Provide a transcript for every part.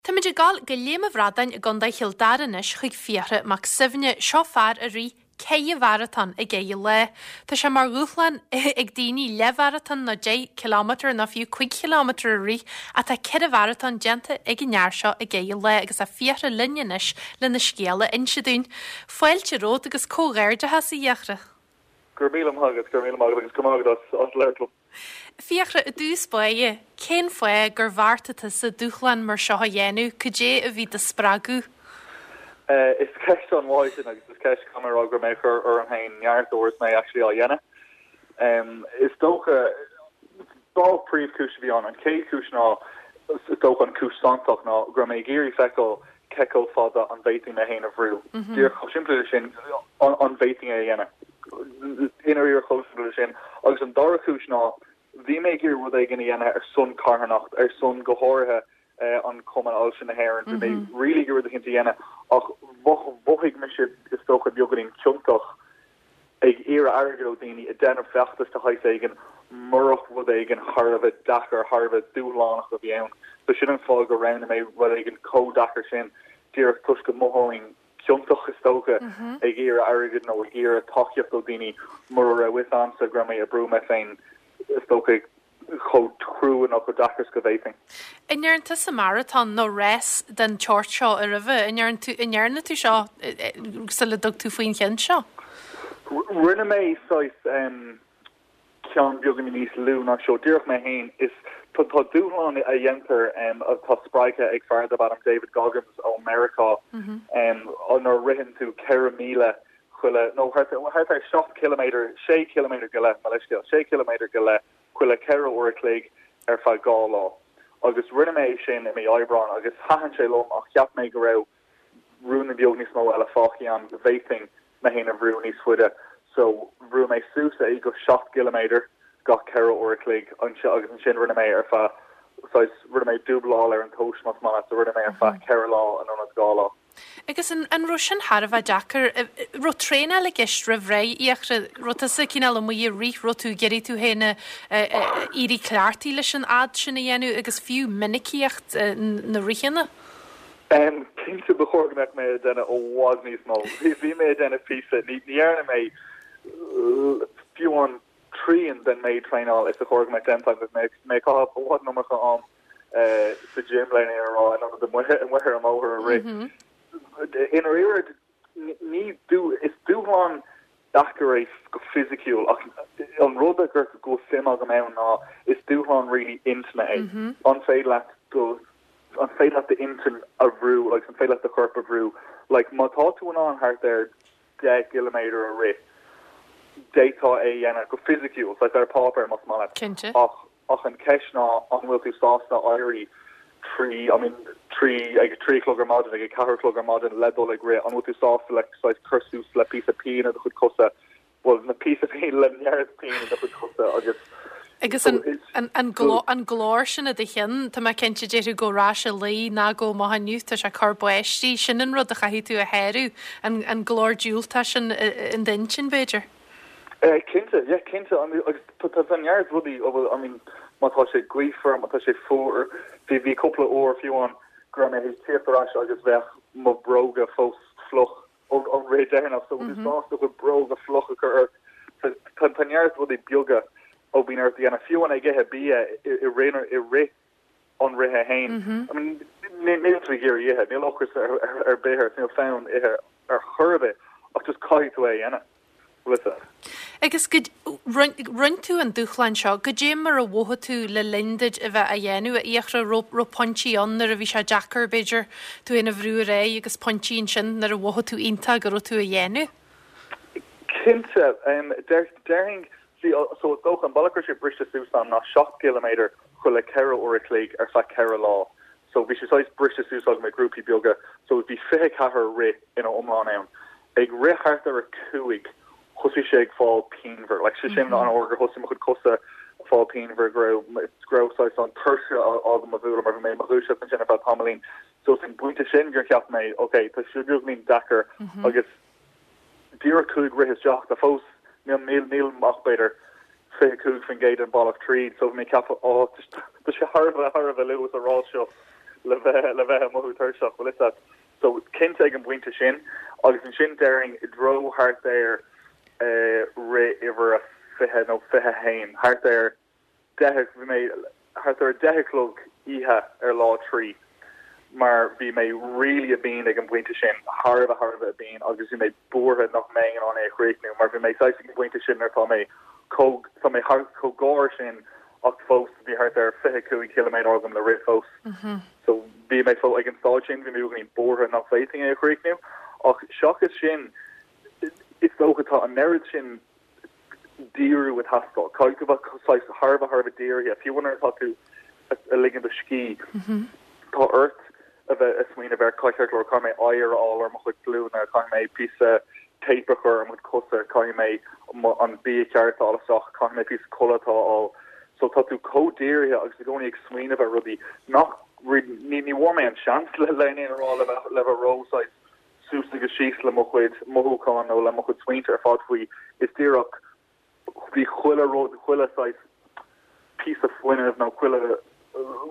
Táimid ag dul go Léim an Bhradáin i gContae Chill Dara anois chuig Fiachra Mac Suibhne. Seo fear a rith ceithre mharatón i gceithre lá. Tá sé mar dhúshlán ag daoine leathmharatón nó 10 kilometre nó fiú 5 chileámeter a rith ach tá ceithre mharatón déanta ag an fhear seo i gceithre lá agus tá Fiachra linn anois lena scéal a inse dúinn. Fáilte romhat agus comhghairdeachas a Fhiachra. Go raibh míle maith agat, go raibh míle maith agat agus go raibh maith agat as labhairt liom. Fiachra, i dtús báire, cén fáth gur bheartaigh tusa dúshlán mar seo a dhéanamh? Cad é a bhí do spreagadh? Is ceist an-mhaith í sin agus is ceist, caithfidh mé a rá, go raibh mé ag cur orm féin neart uair is mé actually á dhéanamh. Is dócha, dhá phríomhchúis a bhí ann. An chéad chúis ná, is dócha an chúis santach ná go raibh mé ag iarraidh feiceáil cé chomh fada an bhféadfainn mé féin a bhrú. Díreach chomh simplí leis sin, an bhféadfainn é a dhéanamh? I ndáiríre chomh simplí leis sin. Agus an dara cúis ná, bhí mé ag iarraidh rud éigin a dhéanamh ar son carthanacht, ar son go háirithe an Cumann Ailse na hÉireann. Bhí mé really ag iarraidh rud eicínt a dhéanamh ach mhothaigh mise is dócha beagáinín ciontach ag iarraidh airgid ó daoine, ag déanamh feachtas de shaghas éigin, murach rud éigin thar a bheith deacair, thar a bheith dúshlánach a bhí ann. So sin an fáth gur roghnaigh mé rud éigin chomh deacair sin, díreach toisc go mothóinn ciontach, is dócha, ag iarraidh airgid nó ag iarraidh tacaíocht ó daoine mura raibh fhios a'msa go raibh mé ag brú mé féin, is dócha. chomh crua nó chomh deacair is go bhféadfainn. An ndearna tusa maratón nó rás den tseort seo roimhe? An ndearna tú, an ndearna tú seo sula dtug tú faoin cheann seo? Rinne mé saghas ceann beagáinín níos lú ná seo, díreach mé féin. Is tá dúshlán a dhéantar atá spreagtha ag fear darb ainm David Goggins ó Meiriceá nuair a ritheann tú 4,000 chuile, nó thart ar 7 ciliméadar, 6 ciliméadar go leith, mo leithscéal, 6 ciliméadar go leith chuile 4 uair a chloig ar feadh 2 lá. Agus rinne mé é sin i mí Aibreáin agus thaitin sé liom ach cheap mé go raibh ruainne beag níos mó eile fágtha agam go bhféadfainn mé féin a bhrú níos faide so bhrúigh mé suas é go 7 gciliméadar gach 4 uair a chloig agus ansin rinne mé ar feadh saghas, rinne mé dúbláil ar an tomhas más maith leat, so rinne mé ar feadh 4 lá in ionad 2 lá. Agus an an raibh sin thar a bheith deacair? Raibh traenáil i gceist roimh ré, a Fhiachra? Raibh tusa cineál amuigh ag rith, raibh tú ag iarraidh tú féin a éirí cleachtaithe leis an fhad sin a dhéanamh agus fiú minicíocht na ritheanna? Cinnte ba chóir go mbeadh mé ag déanamh i bhfad níos mó. Bhí mé ag déanamh píosa, ní dhearna mé fiú an trian den méid traenáil is a chóir go mbeadh déanta agam. Bhí mé ag caitheamh i bhfad an iomarca am sa gym le a rá in ionad amuigh amuigh ar an mbóthar ag rith. I ndáiríre ní is dúshlán deacair é go fisiciúil ach an rud a gur go bhfuil suim agam ann ná is dúshlán really intinne é. An féidir leat do an féidir leat d'intinn a bhrú agus an féidir leat do chorp a bhrú like má tá tú in ann thart ar 10 gciliméadar a rith, d'fhéadfá é a dhéanamh go fisiciúil, saghas ar páipéar más maith leat. Cinnte. Ach ach an cheist ná an bhfuil tú sásta éirí trí, I mean, trí, ag a trí a chlog ar maidin, ag a ceathair a chlog ar maidin le dul ag rith, an bhfuil tú sásta le saghas cur suas le píosa pian i do chuid cosa, bhuel, na píosa pian, le neart pian i do chuid cosa agus Agus an, an, an, glór, an glór sin i do chionn, tá mé cinnte déarfadh gabh ar ais a luí ná gabh amach inniu, tá sé ag cur báistí, sin an rud a chaithfidh tú a shárú, an, an glór diúltach sin in d'intinn, b'fhéidir. Cinnte, yeah, cinnte, agus tá neart rudaí a bhfuil, I mean, má tá sé gaofar, má tá sé fuar, bhí, bhí cúpla uair fiú amháin go raibh mé théis tíocht ar ais agus bheadh mo bhróga fós fliuch ón, ón rith deireanach, so bhfuil tú sásta do chuid bróga fliuch a chur ort. So tá, tá neart rudaí beaga a bhíonn ort a dhéanamh, fiú amháin ag ithe bia i, i rith, i rith an rithe féin. I mean, níl tú ag iarraidh ithe, níl ocras ar, ar, ar bith ort, níl fonn ithe ar chor ar bith, ach just caithfidh tú é a dhéanamh. Lisa. Agus go, rinne tú an dúshlán seo, goidé mar a mhothaigh tú le linn duit a bheith á dhéanamh, a Fhiachra, raibh, raibh pointí ann nuair a bhí sé deacair, b'fhéidir, tú féin a bhrú ar aghaidh agus pointí ansin nuair a mhothaigh tú iontach go raibh tú á dhéanamh? Cinnte. Déarfainn, see, so is dócha an bealach go raibh sé briste suas agam ná 7 gciliméadar chuile 4 uair a chloig ar feadh 4 lá. So bhí sé saghas briste suas agam i grúpaí beaga. So bhí 24 rith ina iomlán ann. Ag rith thart ar a 5 thosaigh sé ag fáil pianmhar. Like sé sin an uair gur thosaigh mo chuid cosa ag fáil pianmhar, go raibh go raibh saghas an tuirse agam a bhualadh mar bhí mé i mo dhúiseacht ansin ar feadh tamaillín. So is an pointe sin gur cheap mé ok tá sé beagáinín deacair agus díreach 5 rith isteach tá fós níl níl níl ach b'fhéidir 25% den bealach tríd so bhí mé ag ceapadh oh tá sé thar a bheith thar a bheith luath sa rás seo. le bheith le bheith ag mothú tuirseach, bhfuil fhios agat. So cinnte ag an bpointe sin agus ansin déarfainn i dtreo thart ar rith uimhir a 20 nó 21, thart ar 10, bhí mé thart ar 10 a chlog oíche ar lá 3 mar bhí mé really binn ag an bpointe sin, thar a bheith thar a bheith binn agus bhí mé buartha nach mbeinn in ann é a chríochnú mar bhí mé saghas ag an bpointe sin nuair atá mé chomh tá mé thar chomh gar sin ach fós bhí thart ar 25 ciliméadar agam le rith fós. So bhí mé fó ag an staid sin bhí mé beagáinín buartha nach bhféadfainn é a chríochnú ach seachas sin is dócha tá an oiread sin díriú ag teastáil. Caithfidh tú bheith saghas thar a bheith thar a bheith dírithe, fiú nuair atá tú ag ligean do scíth, tá ort a bheith ag smaoineamh ar ceart go leor, caithfidh mé oighear a fháil ar mo chuid glúine, caithfidh mé píosa tape a chur ar mo chuid cosa, caithfidh mé an bia ceart a fháil isteach, caithfidh mé píosa codlata a fháil. So tá tú chomh dírithe agus i gcónaí ag smaoineamh ar rudaí nach ní ní bhfuair mé an seans le le aon rá le bheith le bheith ró saghas suas agus síos le mo chuid mothúchán nó le mo chuid smaointe ar fad faoi. Is díreach, bhí chuile rud, chuile saghas píosa fuinnimh nó chuile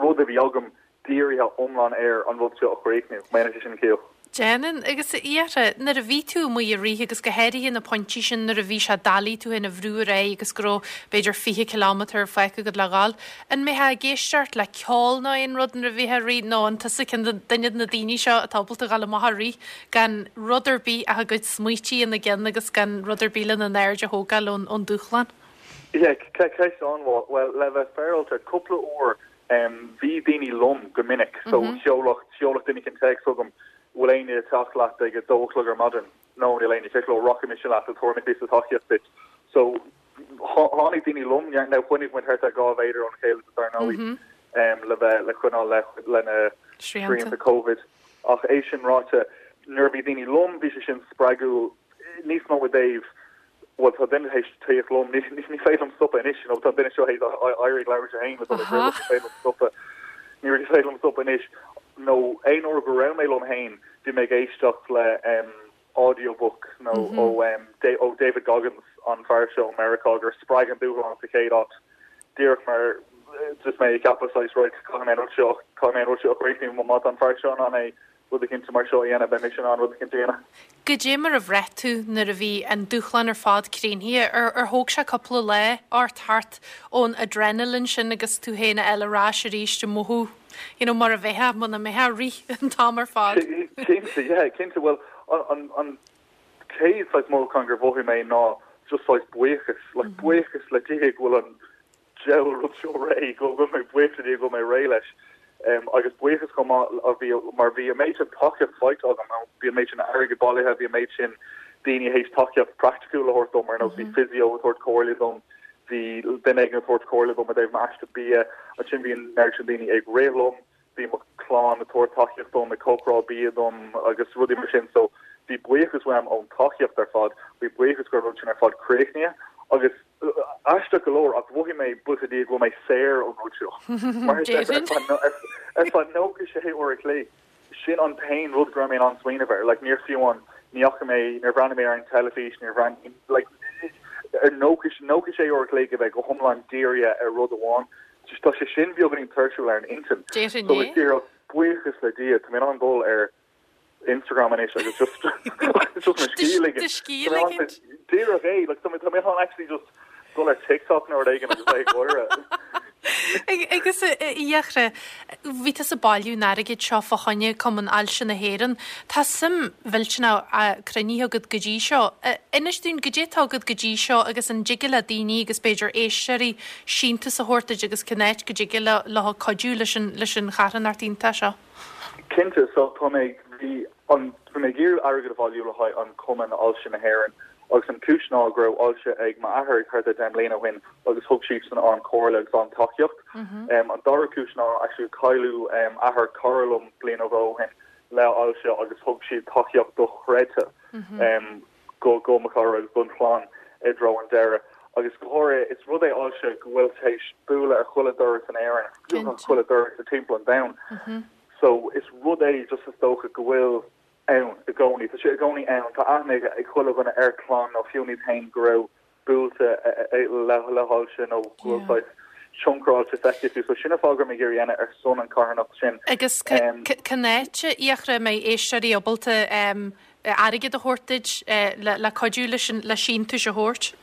rud a bhí agam dírithe iomlán ar an rud seo a chríochnú. Má dhéanann sé sin ciall. Déanann. Agus a Fhiachra, nuair a bhí tú amuigh ag rith agus go háirithe na pointí sin nuair a bhí sé doiligh tú féin a bhrú ar aghaidh agus go raibh b'fhéidir 20 kilometre fágtha agat le dhul, An mbeifeá ag éisteacht le ceol nó aon rud nuair a bhítheá ag rith nó an tusa ceann de duine de na daoine seo atá ábalta dhul amach ag rith gan rud ar bith ach a gcuid smaoití ina gceann agus gan rud ar bith lena n-aird a thógáil ón ón dúshlán? Yeah, ceist an-mhaith. Bhuel, le bheith féaráilte, cúpla uair bhí daoine liom go minic so sheolfadh sheolfadh duine éicint téacs chugam, bhfuil éinne ag teacht leat ag a dó a chlog ar maidin? No, níl éinne ceart go leor, rachaidh mise leat, tabharfaidh mé píosa tacaíocht duit. So Tháinig daoine liom, now choinnigh muid thart ar 2 mhéadar óna chéile dar ndóigh, le bheith, le coinneáil le, le na srianta Covid. Ach é sin ráite, nuair a bhí daoine liom, bhí sé sin spreagúil níos mó i dtaobh, bhuel tá duine théis tíocht liom, ní, ní féidir liom stopadh anois, you know, tá an duine seo théis éirí ag labhairt é féin le dul ag rith, ní féidir liom stopadh, ní féidir liom stopadh anois. Nó aon uair go raibh mé liom féin, bhí mé ag éisteacht le, audiobook nó ó David Goggins, an fear seo ó Meiriceá gur spreag an dúshlán sa chéad áit, díreach mar just mé ag ceapadh saghas right caithfidh mé an rud seo, caithfidh mé an rud seo a chríochnú, má tá an fear seo in ann é rud eicínt mar seo a dhéanamh, beidh mise in ann rud eicínt a dhéanamh. Goidé mar a bhraith tú nuair a bhí an dúshlán ar fad críochnaithe? Ar ar thóg sé cúpla lá ort thart ón adrenaline sin agus tú féin a fháil ar ais arís ag mothú you know, mar a bheifeá muna mbeifeá ag rith an t-am ar fad. Cinnte, yeah, cinnte. Bhuel, an, an chéad saghas mothúchán gur mhothaigh mé ná just saghas buíochas, like buíochas le Dia go bhfuil an diabhal rud seo réidh, go bhfuil mé buíoch le Dia go bhfuil mé réidh leis. Um, agus buíochas chomh maith a bhí, mar bhí an méid sin tacaíocht faighte agam, bhí an méid sin airgead bailithe, bhí an méid sin daoine théis tacaíocht praiticiúil a thabhairt dom, ar nós bhí physio ag tabhairt comhairle dom, Bhí duine éigin ag tabhairt comhairle dom i dtaobh m'aiste bia. Ansin bhí an oiread sin daoine ag rith liom, bhí mo chlann ag tabhairt tacaíocht dom, ag cócaráil bia dom agus rudaí mar sin. So bhí buíochas uaim ón tacaíocht ar fad, bhí buíochas go raibh an rud sin ar fad críochnaithe agus aisteach go leor ach mhothaigh mé buíochas le Dia go bhfuil mé saor ón rud seo. Mar ar feadh 96 uair a chloig. Sin an t-aon rud go raibh mé in ann smaoineamh air. Like, níor fiú an, ní fhaca mé, níor bhreathnaigh mé ar an teilifís, níor bhreathnaigh, like, ar 96 uair a chloig a bheith go hiomlán dírithe ar rud amháin, tá sé sin beagáinín tuirsiúil ar an intinn. Déarfainn So, é. is díreach, buíochas le Dia, tá mé in ann dul ar Instagram anois agus just, just mo scíth a ligean. Do scíth a ligint. Díreach é, like, tá mé, tá mé in ann actually just dul ar TikTok nó rud éigin agus bheith ag gáire. Agus a Fhiachra, bhí tusa ag bailiú an airgid seo fá choinne Cumann Ailse na hÉireann. Tá suim mhillteanach cruinnithe agat go dtí seo. Inis dúinn goidé atá agat go dtí seo agus an dtig le daoine agus b'fhéidir éisteoirí síntiús a thabhairt duit agus cén áit go dtig leo cuidiú leis an leis an charthanacht iontach seo. Cinnte, so tá mé, bhí an, bhí mé ag iarraidh airgead a bhailiú le haghaidh an Cumann Ailse na hÉireann agus an cúis ná go raibh ailse ag m'athair thart ar 10 mbliana ó shin agus thug siadsan an-chomhairle agus an-tacaíocht. An dara cúis ná actually cailleadh athair cara liom bliain nó dhó ó shin le ailse agus thug siad tacaíocht dochreidte go go mo chara agus don chlann i dtreo an deireadh. Agus go háirithe is rud é ailse go bhfuil tar éis bualadh ar chuile doras in Éirinn, chuile doras i timpeall an domhain. So is rud é just is dócha go bhfuil ann i gcónaí. Tá sé i gcónaí ann. Tá aithne ag chuile dhuine ar chlann nó fiú iad féin go raibh buailte le le hailse nó go bhfuil saghas. tionchar ailse feicfidh tú. So sin an fáth go raibh mé ag iarraidh a dhéanamh ar son an carthanacht sin. Agus cén áit, a Fhiachra, a mbeidh éisteoirí ábalta airgead a thabhairt duit le cuidiú leis an le síntiúis a thabhairt?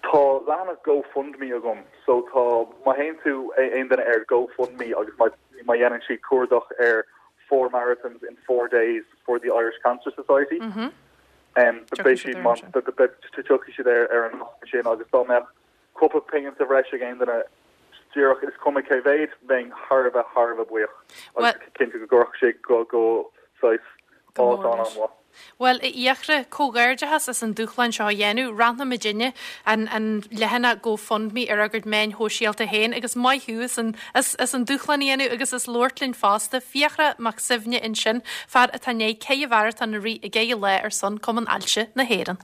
Tá leathanach GoFundMe agam. So tá, má théann tú, aon duine ar GoFundMe agus má má dhéanann siad cuardach ar 'Four marathons in four days for the Irish Cancer Society' beidh siad, tiocfaidh siad ar an nasc sin agus dá mbeadh cúpla pingin sa bhreis ag aon duine, díreach is cuma cé mhéad, bheinn thar a bheith thar a bheith buíoch agus cinnte go gcuirfeadh sé go go saghas áit an-an-mhaith. Bhuel, a Fhiachra, comhghairdeachas as an dúshlán seo a dhéanamh. Roinnfidh muidinne an an leathanach GoFundMe ar ár gcuid meáin shóisialta féin agus maith thú as an as as an dúshlán a dhéanamh agus as labhairt linn fosta. Fiachra Mac Suibhne ansin, fear atá i ndiaidh ceithre mharatón a rith i gceithre lá ar son Cumann Ailse na hÉireann.